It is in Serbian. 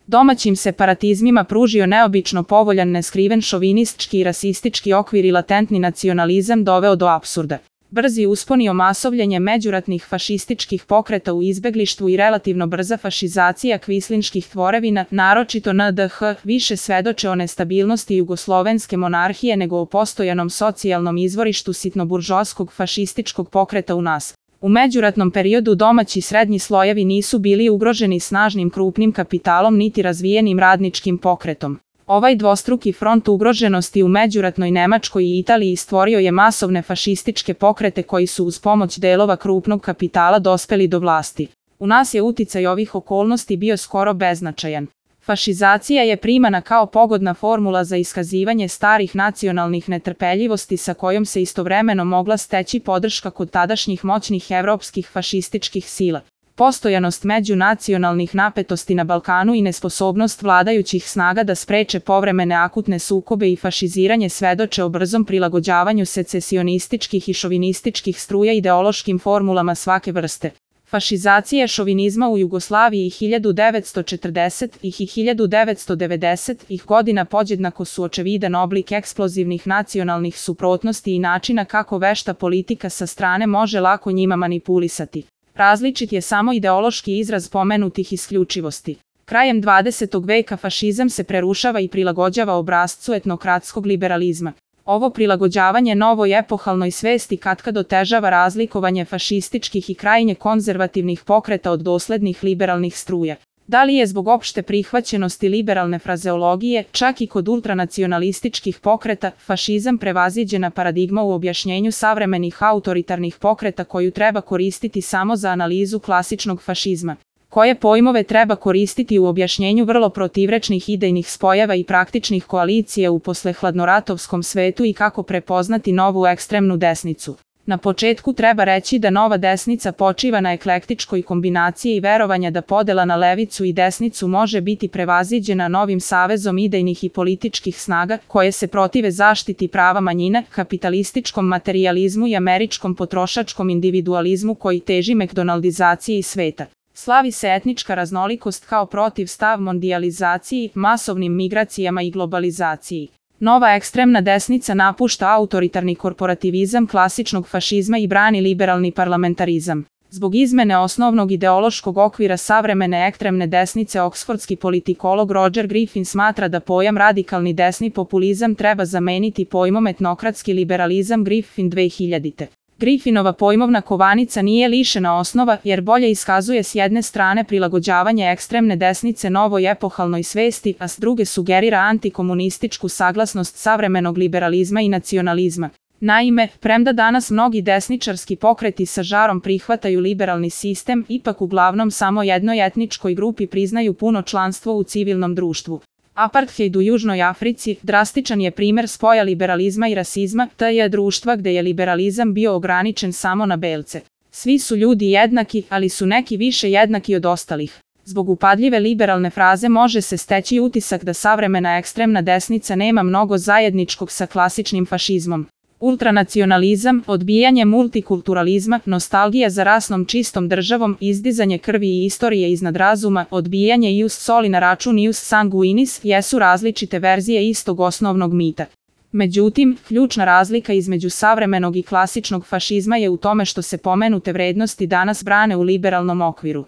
Domaćim separatizmima pružio neobično povoljan neskriven šovinistički i rasistički okvir i latentni nacionalizam doveo do apsurda. Brzi uspon i omasovljenje međuratnih fašističkih pokreta u izbeglištvu i relativno brza fašizacija kvislinških tvorevina, naročito NDH, više svedoče o nestabilnosti jugoslovenske monarhije nego o postojanom socijalnom izvorištu sitnoburžoaskog fašističkog pokreta u nas. U međuratnom periodu domaći srednji slojevi nisu bili ugroženi snažnim krupnim kapitalom niti razvijenim radničkim pokretom. Ovaj dvostruki front ugroženosti u međuratnoj Nemačkoj i Italiji stvorio je masovne fašističke pokrete koji su uz pomoć delova krupnog kapitala dospeli do vlasti. U nas je uticaj ovih okolnosti bio skoro beznačajan. Fašizacija je primana kao pogodna formula za iskazivanje starih nacionalnih netrpeljivosti sa kojom se istovremeno mogla steći podrška kod tadašnjih moćnih evropskih fašističkih sila. Postojanost međunacionalnih napetosti na Balkanu i nesposobnost vladajućih snaga da spreče povremene akutne sukobe i fašiziranje svedoče o brzom prilagođavanju secesionističkih i šovinističkih struja ideološkim formulama svake vrste. Fašizacija šovinizma u Jugoslaviji 1940-ih i 1990-ih godina podjednako su očevidan oblik eksplozivnih nacionalnih suprotnosti i načina kako vešta politika sa strane može lako njima manipulisati. Različit je samo ideološki izraz pomenutih isključivosti. Krajem 20. veka fašizam se prerušava i prilagođava obrascu etnokratskog liberalizma. Ovo prilagođavanje novoj epohalnoj svesti katkad otežava razlikovanje fašističkih i krajnje konzervativnih pokreta od doslednih liberalnih struja. Da li je zbog opšte prihvaćenosti liberalne frazeologije, čak i kod ultranacionalističkih pokreta, fašizam prevaziđena paradigma u objašnjenju savremenih autoritarnih pokreta koju treba koristiti samo za analizu klasičnog fašizma? Koje pojmove treba koristiti u objašnjenju vrlo protivrečnih idejnih spojeva i praktičnih koalicija u poslehladnoratovskom svetu i kako prepoznati novu ekstremnu desnicu? Na početku treba reći da nova desnica počiva na eklektičkoj kombinaciji i verovanja da podela na levicu i desnicu može biti prevaziđena novim savezom idejnih i političkih snaga koje se protive zaštiti prava manjina, kapitalističkom materijalizmu i američkom potrošačkom individualizmu koji teži mekdonaldizaciji sveta. Slavi se etnička raznolikost kao protivstav mondijalizaciji, masovnim migracijama i globalizaciji. Nova ekstremna desnica napušta autoritarni korporativizam klasičnog fašizma i brani liberalni parlamentarizam. Zbog izmene osnovnog ideološkog okvira savremene ekstremne desnice oksfordski politikolog Roger Griffin smatra da pojam radikalni desni populizam treba zameniti pojmom etnokratski liberalizam Griffin 2000. Griffinova pojmovna kovanica nije lišena osnova jer bolje iskazuje s jedne strane prilagođavanje ekstremne desnice novoj epohalnoj svesti, a s druge sugerira antikomunističku saglasnost savremenog liberalizma i nacionalizma. Naime, premda danas mnogi desničarski pokreti sa žarom prihvataju liberalni sistem, ipak uglavnom samo jednoj etničkoj grupi priznaju puno članstvo u civilnom društvu. Apartheid u Južnoj Africi drastičan je primer spoja liberalizma i rasizma, to je društva gde je liberalizam bio ograničen samo na belce. Svi su ljudi jednaki, ali su neki više jednaki od ostalih. Zbog upadljive liberalne fraze može se steći utisak da savremena ekstremna desnica nema mnogo zajedničkog sa klasičnim fašizmom. Ultranacionalizam, odbijanje multikulturalizma, nostalgija za rasnom čistom državom, izdizanje krvi i istorije iznad razuma, odbijanje ius soli na račun ius sanguinis jesu različite verzije istog osnovnog mita. Međutim, ključna razlika između savremenog i klasičnog fašizma je u tome što se pomenute vrednosti danas brane u liberalnom okviru.